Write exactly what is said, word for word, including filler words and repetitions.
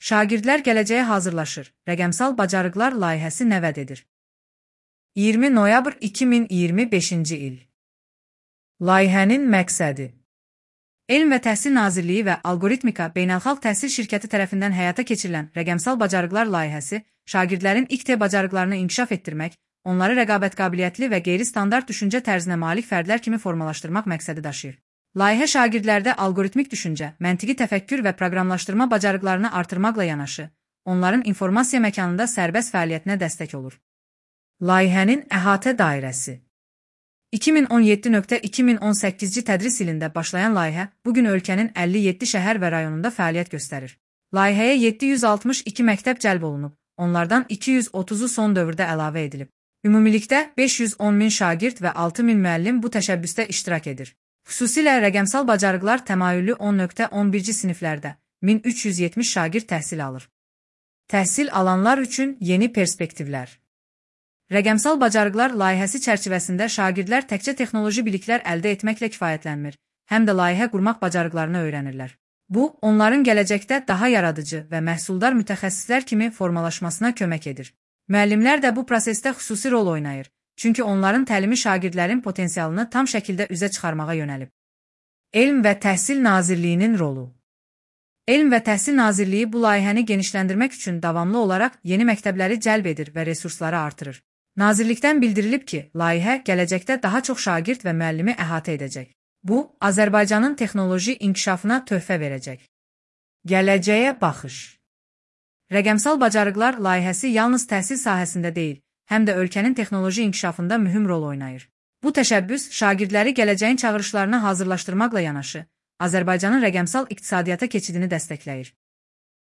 Şagirdlər gələcəyə hazırlaşır. Rəqəmsal bacarıqlar layihəsi nə vəd edir? iyirmi noyabr iki min iyirmi beşinci il. Layihənin məqsədi: Elm və Təhsil Nazirliyi və Algoritmika Beynəlxalq Təhsil Şirkəti tərəfindən həyata keçirilən rəqəmsal bacarıqlar layihəsi, şagirdlərin İK T bacarıqlarını inkişaf etdirmək, onları rəqabət qabiliyyətli və qeyri-standart düşüncə tərzinə malik fərdlər kimi formalaşdırmaq məqsədi daşıyır. Layihə şagirdlərdə algoritmik düşüncə, məntiqi təfəkkür və proqramlaşdırma bacarıqlarını artırmaqla yanaşı, onların informasiya məkanında sərbəst fəaliyyətinə dəstək olur. Layihənin əhatə dairəsi: iki min on yeddi - iki min on səkkizci tədris ilində başlayan layihə bugün ölkənin əlli yeddi şəhər və rayonunda fəaliyyət göstərir. Layihəyə yeddi yüz altmış iki məktəb cəlb olunub, onlardan iki yüz otuz'u son dövrdə əlavə edilib. Ümumilikdə beş yüz on min şagird və altı min müəllim bu təşəbbüsdə iştirak edir. Xüsusilə rəqəmsal bacarıqlar təmayüllü on - on birci siniflərdə min üç yüz yetmiş şagird təhsil alır. Təhsil alanlar üçün yeni perspektivlər. Rəqəmsal bacarıqlar layihəsi çərçivəsində şagirdlər təkcə texnoloji biliklər əldə etməklə kifayətlənmir, həm də layihə qurmaq bacarıqlarını öyrənirlər. Bu, onların gələcəkdə daha yaradıcı və məhsuldar mütəxəssislər kimi formalaşmasına kömək edir. Müəllimlər də bu prosesdə xüsusi rol oynayır, çünki onların təlimi şagirdlərin potensialını tam şəkildə üzə çıxarmağa yönəlib. Elm və Təhsil Nazirliyinin rolu: Elm və Təhsil Nazirliyi bu layihəni genişləndirmək üçün davamlı olaraq yeni məktəbləri cəlb edir və resursları artırır. Nazirlikdən bildirilib ki, layihə gələcəkdə daha çox şagird və müəllimi əhatə edəcək. Bu, Azərbaycanın texnoloji inkişafına töhfə verəcək. Gələcəyə baxış: Rəqəmsal bacarıqlar layihəsi yalnız təhsil sahəsində deyil, həm də ölkənin texnoloji inkişafında mühüm rol oynayır. Bu təşəbbüs şagirdləri gələcəyin çağırışlarına hazırlaşdırmaqla yanaşı, Azərbaycanın rəqəmsal iqtisadiyyata keçidini dəstəkləyir.